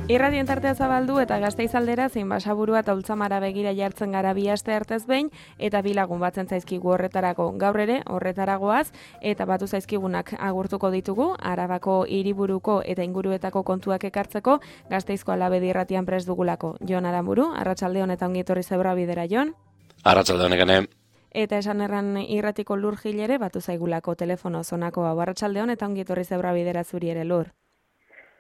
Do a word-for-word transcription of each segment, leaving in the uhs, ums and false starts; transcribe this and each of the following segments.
Irratien tartea zabaldu eta Gasteiz aldera zein Basaburua eta Ultzamara begira jartzen gara bi aste artez behin eta bi lagun batzen zaizkigu horretarako. Gaur ere horretaragoaz eta batu zaizkigunak agurtuko ditugu Arabako hiriburuko eta inguruetako kontuak ekartzeko Gasteizko Alabedi irratian prest dugulako. Jon Aramburu, arratsaldeon eta ongi etorri Zebrua bidera, Jon. Arratsaldeon egene. Eta esan erran irratiko Lur Gilere batu zaigulako telefono zonako hau. Arratsaldeon eta ongi etorri Zebrua bidera zuri ere, Lur.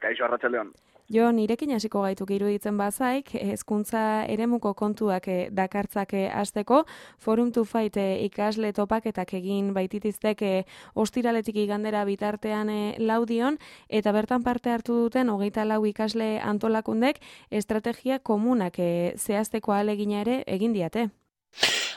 Kaixo, arratsaldeon. Jo, nirekin hasiko gaituk iruditzen bazaik, hezkuntza eremuko kontuak dakartzake hasteko, Forum to Fight ikasle topaketak egin baititiztek ostiraletik igandera bitartean laudion, eta bertan parte hartu duten hogeita lau ikasle antolakundek estrategia komunak zehazteko ahalegina ere egin diate.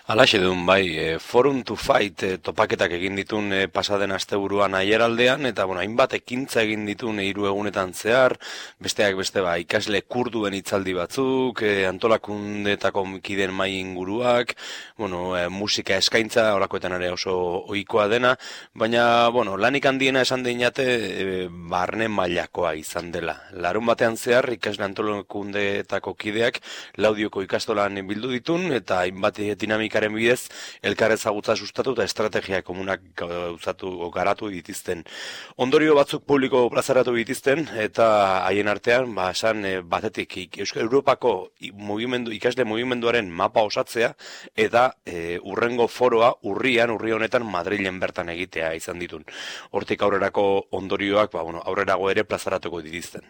Alaxe duen, bai, Forum to Fight topaketak egin ditun pasaden asteburuan aieraldean, eta bueno, hainbat ekintza egin ditun hiru egunetan zehar, besteak beste ba, ikasle kurduen hitzaldi batzuk, antolakundetako kideen mai inguruak, bueno, musika eskaintza, horakoetan ere oso ohikoa dena, baina, bueno, lanik handiena esan deinate, barne mailakoa izan dela. Larun batean zehar, ikasle antolakundetako kideak Laudioko ikastolan bildu ditun, eta hainbat dinamika bidez, elkar ezagutza sustatu eta estrategia komunak gauzatu garatu dituzten. Ondorio batzuk publiko plazaratu dituzten eta haien artean, ba, esan batetik Euskal Europako mugimendu, ikasle mugimenduaren mapa osatzea eta e, urrengo foroa urrian, urri honetan Madrilen bertan egitea izan ditun. Hortik aurrerako ondorioak, ba, bueno, aurrerago ere plazaratuko dituzten.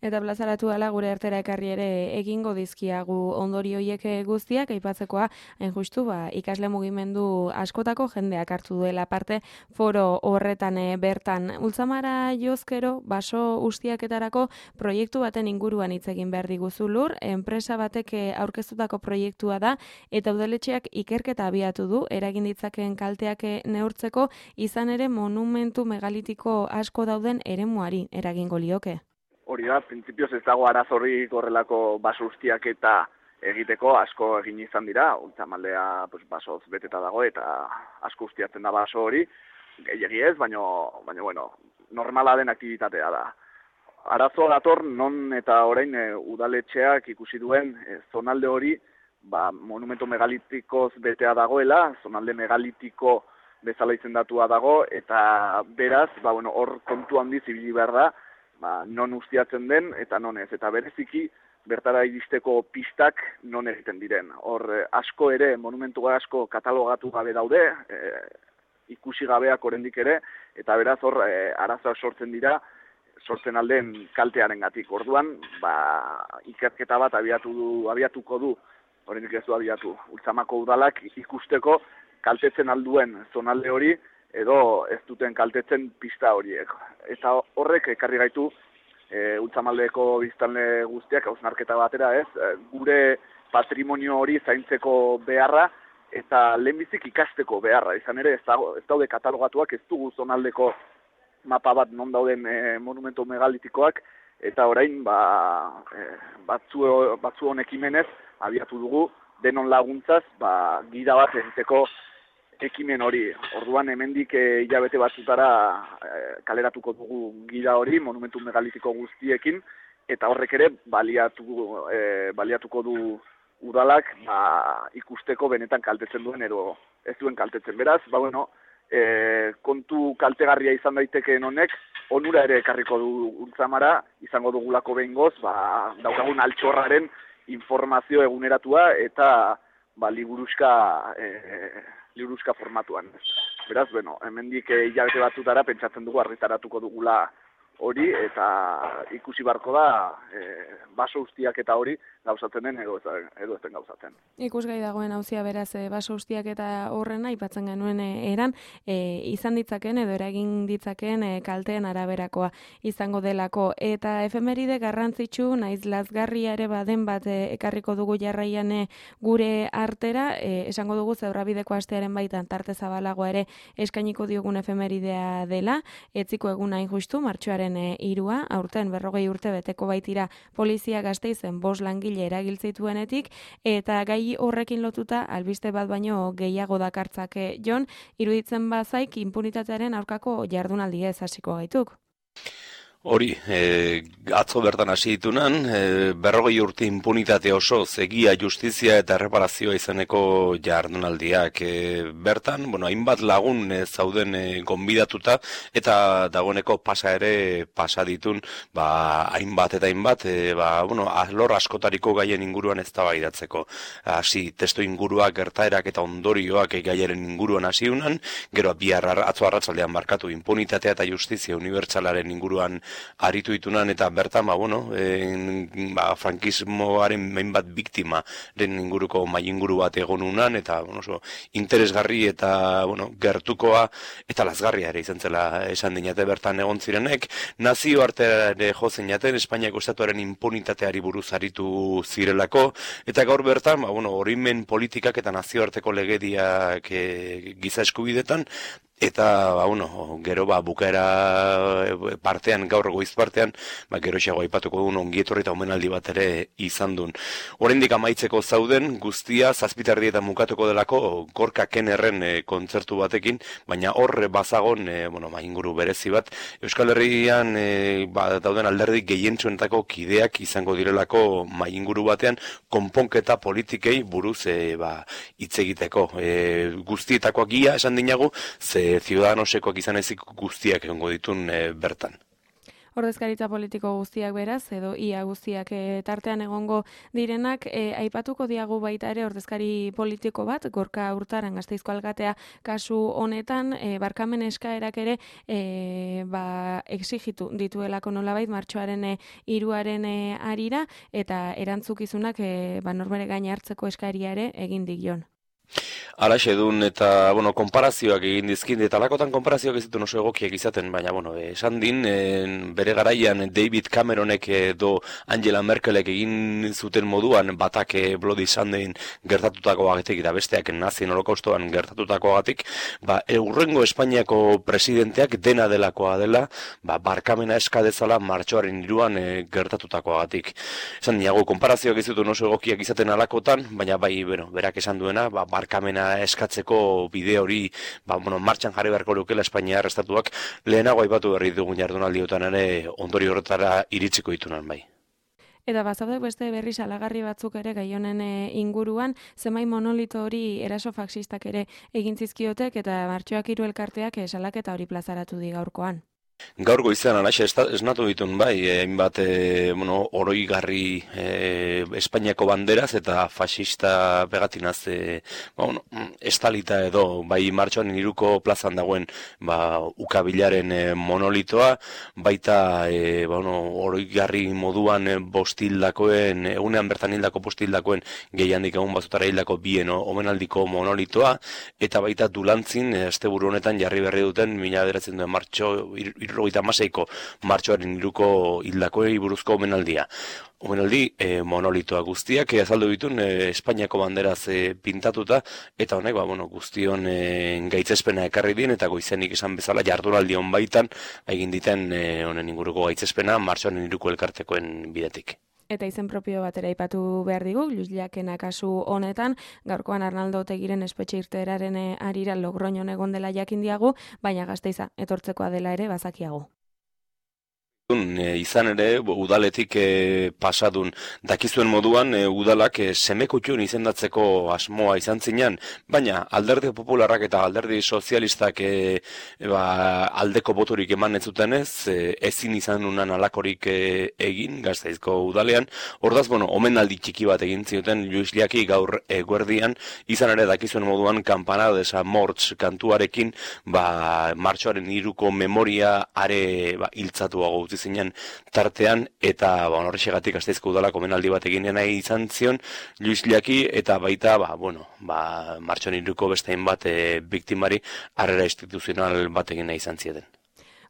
Eta plazaratu dela gure artera ekarri ere egingo dizkiagu ondorio hiek guztiak, aipatzekoa, hain justu, ba, ikasle mugimendu askotako jendeak hartu duela parte foro horretan bertan. Ultzamara jozkero, baso ustiaketarako proiektu baten inguruan hitz egin behar diguzu, Lur, enpresa batek aurkeztutako proiektua da, eta udaletxeak ikerketa abiatu du, eragin ditzakeen kalteak neurtzeko, izan ere monumentu megalitiko asko dauden eremuari eragingo lioke. Hori da, printzipioz ez dago arazorrik horrelako baso ustiak eta egiteko asko egin izan dira, Ultzamaldea pues, basoz beteta dago eta asko ustiatzen da baso hori, gehiegi ez, baina, baina bueno, normala den aktibitatea da. Arazo dator non eta orain e, udaletxeak ikusi duen e, zonalde hori ba, monumento megalitikoz betea dagoela, zonalde megalitiko bezala izendatua dago, eta beraz, ba, bueno, hor kontu handiz ibili behar da, ba, non ustiatzen den eta non ez. Eta bereziki bertara iristeko pistak non egiten diren. Hor asko ere, monumentu asko katalogatu gabe daude, e, ikusi gabeak oraindik ere, eta beraz hor e, arazoak sortzen dira, sortzen alden kaltearengatik. Orduan, ba, ikerketa bat abiatu du, abiatuko du, oraindik ez du abiatu, Ultzamako udalak ikusteko kaltetzen alduen zonalde hori, edo ez duten kaltetzen pista horiek. Eta horrek ekarri gaitu e, Ultzamaldeko biztanle guztiak hausnarketa batera, ez, e, gure patrimonio hori zaintzeko beharra eta lehenbizik ikasteko beharra. Izan ere ez, dago, ez daude katalogatuak, ez dugu zonaldeko mapa bat non dauden e, monumento megalitikoak, eta orain ba, e, batzu, batzu honek imenez abiatu dugu denon laguntzaz ba, gida bat egiteko ekimen hori. Orduan hemendik e, hilabete batzutara e, kaleratuko dugu gida hori, monumentu megalitiko guztiekin, eta horrek ere baliatu, e, baliatuko du udalak ba, ikusteko benetan kaltetzen duen edo ez duen kaltetzen. Beraz, ba bueno, e, kontu kaltegarria izan daitekeen honek, onura ere ekarriko du Ultzamara, izango dugulako behingoz, ba, daukagun altxorraren informazio eguneratua eta ba, liburuska e, liburuska formatuan. Beraz, bueno, hemendik hilabete batzutara pentsatzen dugu argitaratuko dugula hori, eta ikusi barko da e, baso ustiak eta hori gauzatzen den edo ez den gauzatzen. Ikusgai dagoen auzia beraz e, baso ustiak eta horrena aipatzen genuen e, eran e, izan ditzakeen edo eragin ditzakeen e, kalteen araberakoa izango delako. Eta efemeride garrantzitsu naiz lazgarria ere baden bat e, ekarriko dugu jarraian e, gure artera, e, esango dugu Zebrabideko astearen baitan tarte zabalagoa ere eskainiko diogun efemeridea dela, etziko eguna injustu, martxoaren hirua, aurten berrogei urte beteko baitira polizia Gasteizen bost langile eragiltzituenetik, eta gai horrekin lotuta albiste bat baino gehiago dakartzake. Jon, iruditzen bazaik inpunitatearen aurkako jardunaldia ez hasiko gaituk. Hori, e, atzo bertan hasi ditunan, e, berrogei urte impunitate oso, egia, justizia eta erreparazioa izeneko jardunaldiak. E, bertan, bueno, hainbat lagun e, zauden e, gonbidatuta, eta dagoeneko pasa ere pasa ditun, ba, hainbat eta hainbat, e, ba, bueno, alor askotariko gaien inguruan ez da baidatzeko. Hasi, testo inguruak, gertaerak eta ondorioak e, gaiaren inguruan hasi unan, gero bihar atzo arratsaldean markatu impunitatea eta justizia unibertsalaren inguruan aritu ditunan eta bertan, ba, bueno, en, ba, frankismoaren hainbat biktimaren inguruko mai inguru bat egon unan, eta, bueno, oso interesgarri eta, bueno, gertukoa eta lazgarria ere izan zela esan dinate bertan egon zirenek, nazio arteare jo zeinaten, Espainiako estatuaren impunitateari buruz aritu zirelako, eta gaur bertan, ba, bueno, orimen politikak eta nazioarteko legediak e, giza eskubidetan, eta, ba, bueno, gero, ba, bukaera partean, gaur goiz partean, ba, gero xago aipatuko duen ongietorri eta omenaldi bat ere izan duen. Oraindik amaitzeko zauden, guztia, zazpitardi eta mukatuko delako, Gorka Kennerren e, kontzertu batekin, baina hor bazagon, e, bueno, ma, inguru berezi bat, Euskal Herrian, e, ba, dauden alderdi gehientsuenetako kideak izango direlako mai inguru batean, konponketa politikei buruz, e, ba, hitz egiteko. E, guztietakoak ia esan dinagu, ze ciudadanosekoak izan ezik guztiak egongo ditun e, bertan. Ordezkaritza politiko guztiak beraz, edo ia guztiak e, tartean egongo direnak, e, aipatuko diagu baita ere ordezkari politiko bat, Gorka Urtaran Gasteizko alkatea kasu honetan, e, barkamen eskaerak ere e, ba, exigitu dituelako nolabait martxoaren e, iruaren e, arira, eta erantzukizunak e, ba, norbere gain hartzeko eskaria ere egin dion. Alaxe dun eta, bueno, konparazioak egin dizkin, eta alakotan konparazioak ez ditu oso egokiak izaten, baina, bueno, esan din, en, bere garaian David Cameronek edo Angela Merkelek egin zuten moduan, batak Bloody Sundayn gertatutakoagatik, eta besteak nazien holokaustoan gertatutakoagatik, ba, urrengo Espainiako presidenteak dena delakoa dela, ba, barkamena eskadezala martxoaren iruan e, gertatutakoagatik. Esan diago, konparazioak ez ditu oso egokiak izaten alakotan, baina bai, bueno, berak esan duena, ba, barkamena eskatzeko bide hori, ba, bueno, martxan jarri beharko lukela Espainiar estatuak lehenago aipatu berri dugun jardunaldiotan ere ondori horretara iritsiko ditunan bai. Eta bazaude beste berri salagarri batzuk ere gai honen inguruan, zemai monolito hori eraso faxistak ere egin zizkiotek eta martxoak hiru elkarteak salaketa hori plazaratu di gaurkoan. Gaur goizean alaxe esnatu ditun bai, hainbat e, bueno, oroigarri e, Espainiako banderaz eta fascista pegatinaz e, ba, bueno, estalita edo bai martxoan hiruko plazan dagoen ba, ukabilaren e, monolitoa, baita e, ba, bueno, oroigarri moduan e, bostildakoen, egunean bertan hildako bostildakoen gehiandik egun bazutara hildako bien omenaldiko monolitoa, eta baita Dulantzin, asteburu honetan jarri berri duten mila bederatziehun duen martxo irrogeita hamaseiko martxoaren hiruko hildakoei buruzko omenaldia. Omenaldi e, monolitoa guztiak e, azaldu ditun e, Espainiako banderaz e, pintatuta, eta honek ba, bueno, guztion e, gaitzespena ekarri din, eta goizenik esan bezala jardunaldi hon baitan egin diten e, honen inguruko gaitzespena martxoaren hiruko elkartekoen bidetik. Eta izen propio batera aipatu behar digu, Luisliakena kasu honetan, gaurkoan Arnaldo Otegiren espetxe irteeraren arira Logroñon egon dela jakin diagu, baina Gasteiza etortzekoa dela ere bazakiago. Izan ere, udaletik e, pasadun dakizuen moduan, e, udalak e, semekutxun izendatzeko asmoa izan zinean, baina alderdi popularrak eta alderdi sozialistak e, e, ba, aldeko boturik eman ez zuten ez, e, ezin izan unan alakorik e, egin, Gasteizko udalean, ordaz, bueno, omenaldi txiki bat egin zioten Luis Liaki gaur eguerdian, izan ere dakizuen moduan, Campanada de San Morts kantuarekin, ba, martxoaren hiruko memoria are ba, hiltzatuago utzi zinen tartean, eta ba, horrexegatik Gasteizko udalak omenaldi bat egin nahi izan zion Luis Liaki, eta baita ba, bueno, ba, martxoaren hiruko beste hainbat e, biktimari harrera instituzional bat egin nahi izan zieten.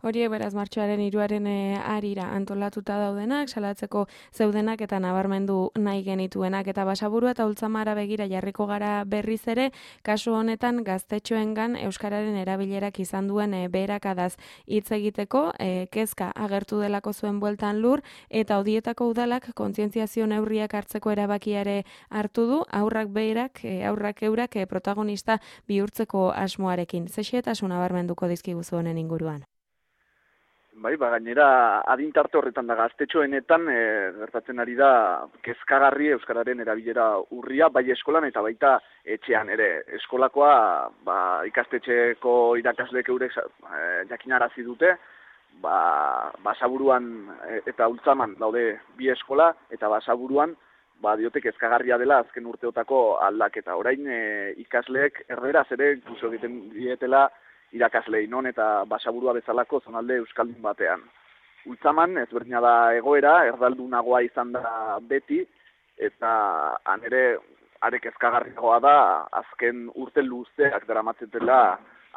Horiek beraz martxoaren hiruaren arira antolatuta daudenak, salatzeko zeudenak eta nabarmendu nahi genituenak, eta Basaburua eta Ultzamara begira jarriko gara berriz ere, kasu honetan gaztetxoengan euskararen erabilerak izan duen e, beherakadaz hitz egiteko, e, kezka agertu delako zuen bueltan lur, eta odietako udalak kontzientziazio neurriak hartzeko erabakiare hartu du, aurrak beherak, e, aurrak eurak e, protagonista bihurtzeko asmoarekin. Zexetasun nabarmenduko dizkiguzu honen inguruan. Bai, ba, gainera adintarte horretan da gaztetxoenetan e, gertatzen ari da kezkagarri euskararen erabilera urria, bai eskolan eta baita etxean ere. Eskolakoa ba, ikastetxeko irakasleek eurek e, jakinarazi dute, ba, Basaburuan eta Ultzaman daude bi eskola, eta Basaburuan ba, diote kezkagarria dela azken urteotako aldaketa. Orain e, ikasleek erderaz ere inkluso egiten dietela irakaslei non eta Basaburua bezalako zonalde euskaldun batean. Ultzaman ezberdina da egoera, erdaldunagoa izan da beti, eta han ere arek ezkagarriagoa da azken urte luzeak daramatzetela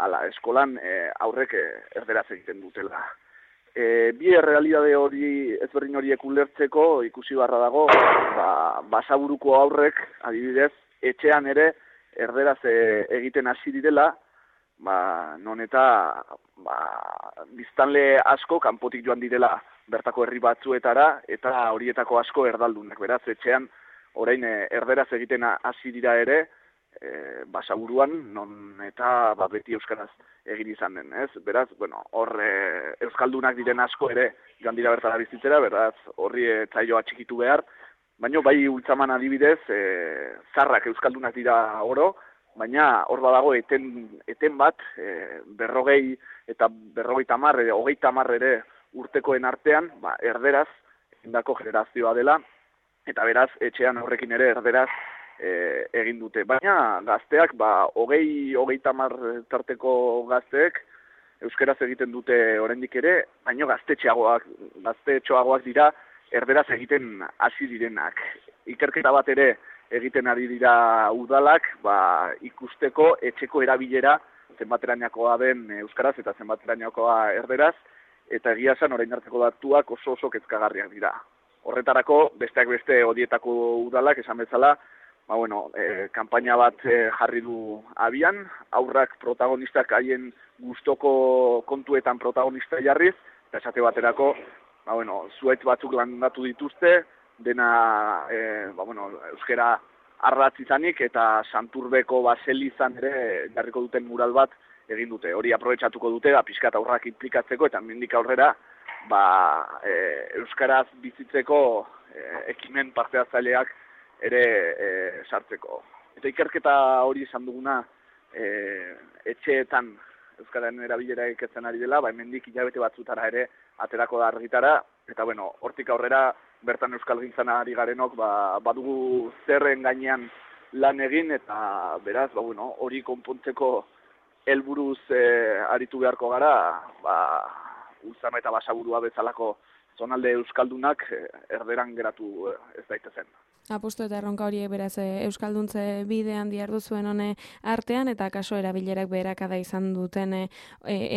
ala eskolan e, aurrek e, erderaz egiten dutela. E, bi errealidade hori ezberdin horiek ulertzeko ikusi barra dago, ba, Basaburuko aurrek adibidez etxean ere erderaz e, egiten hasi direla, ba, non eta ba, biztanle asko kanpotik joan direla bertako herri batzuetara, eta horietako asko erdaldunak. Beraz, etxean orain erderaz egiten hasi dira ere, e, Basaburuan, non eta ba, beti euskaraz egin izan den. Ez? Beraz, bueno, hor e, euskaldunak diren asko ere joan dira bertara bizitzera, beraz, horri e, tzaioa txikitu behar, baina bai Ultzaman adibidez, e, zarrak euskaldunak dira oro, baina hor badago eten, eten bat, e, berrogei eta berrogei tamar, e, hogei tamar ere urtekoen artean, ba, erderaz, indako generazioa dela, eta beraz, etxean horrekin ere erderaz e, egin dute. Baina gazteak, ba, hogei, hogei tamar tarteko gazteek, euskeraz egiten dute oraindik ere, baina gaztetxeagoak, gaztetxoagoak dira, erderaz egiten hasi direnak. Ikerketa bat ere, egiten ari dira udalak, ba, ikusteko etxeko erabilera zenbaterainakoa den euskaraz eta zenbaterainakoa erderaz, eta egia esan orain arteko datuak oso oso kezkagarriak dira. Horretarako, besteak beste horietako udalak esan bezala, ba, bueno, e, kanpaina bat e, jarri du abian, aurrak protagonistak haien gustoko kontuetan protagonista jarriz, eta esate baterako, ba, bueno, zuhaitz batzuk landatu dituzte, dena e, ba, bueno, euskera arratz izanik eta Santurbeko baselizan ere jarriko duten mural bat egin dute. Hori aprobetxatuko dute, da, pixkat aurrak inplikatzeko eta mendik aurrera ba, e, euskaraz bizitzeko e, ekimen parte hartzaileak ere e, sartzeko. Eta ikerketa hori izan duguna e, etxeetan euskararen erabilera ikertzen ari dela, ba, hemendik hilabete batzutara ere aterako da argitara, eta bueno, hortik aurrera bertan euskalgintzan ari garenok ba, badugu zerren gainean lan egin, eta beraz, ba, bueno, hori konpontzeko helburuz e, aritu beharko gara, ba, Ultzama eta Basaburua bezalako zonalde euskaldunak e, erderan geratu e, ez daitezen. Apustu eta erronka horiek beraz euskalduntze bidean diardu zuen hone artean, eta kaso erabilerak beherakada izan duten e,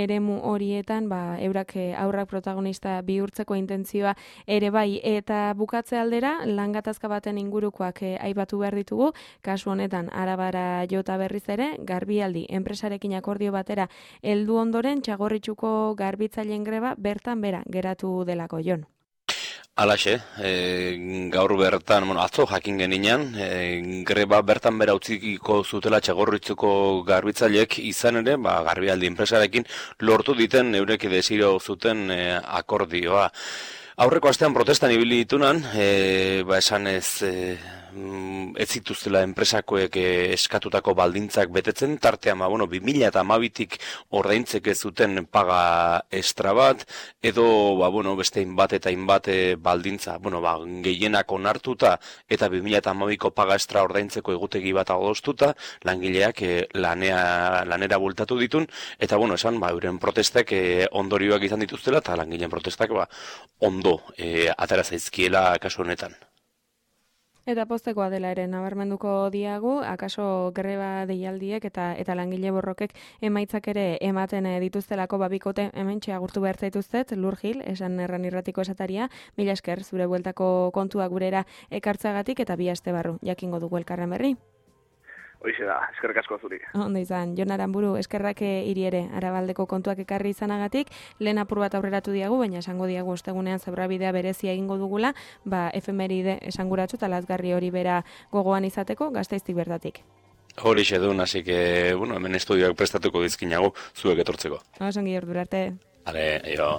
eremu horietan, ba, eurak aurrak protagonista bihurtzeko intentzioa ere bai, eta bukatze aldera langatazka baten ingurukoak e, aipatu behar ditugu, kasu honetan Arabara jota berriz ere, Garbialdi enpresarekin akordio batera heldu ondoren Txagorritxuko garbitzaileen greba bertan bera geratu delako. Jon. Alaxe, e, gaur bertan, bueno, atzo jakin geninan, e, greba bertan bera utziko zutela Txagorritxuko garbitzaileek izan ere, ba, Garbialdi enpresarekin lortu diten eurek desiro zuten e, akordioa. Aurreko astean protestan ibili ditunan, e, ba, esan ez... E, ez zituztela enpresakoek eskatutako baldintzak betetzen, tartean, ba, bueno, bi mila hamabitik ordaintzeke zuten paga estra bat, edo, ba, bueno, beste inbat eta inbat baldintza, bueno, ba, gehienak onartuta, eta bi mila hamabiko paga estra ordaintzeko egutegi bat adostuta, langileak e, lanea, lanera bultatu ditun, eta, bueno, esan, ba, euren protestek e, ondorioak izan dituztela, eta langileen protestak, ba, ondo e, atera zaizkiela kasu honetan. Eta postekoa dela ere nabarmenduko diagu, akaso greba deialdiek eta eta langile borrokek emaitzak ere ematen dituztelako babikote hementxe agurtu behar zaituztet, Lur Gil, esan erran irratiko esataria, mila esker zure bueltako kontua gurera ekartzagatik eta bi aste barru jakingo dugu elkarren berri. Hoize da, eskerrik asko zuri. Ondo izan, Jon Aranburu, eskerrak hiri ere Arabaldeko kontuak ekarri izanagatik, lehen apur bat aurreratu diagu, baina esango diagu ostegunean zebrabidea berezia egingo dugula, ba efemeride esanguratsu eta lazgarri hori bera gogoan izateko, Gasteiztik bertatik. Hori xedun, así que, bueno, hemen estudioak prestatuko dizkinago zuek etortzeko. Osongi ordura arte. Ale, jo.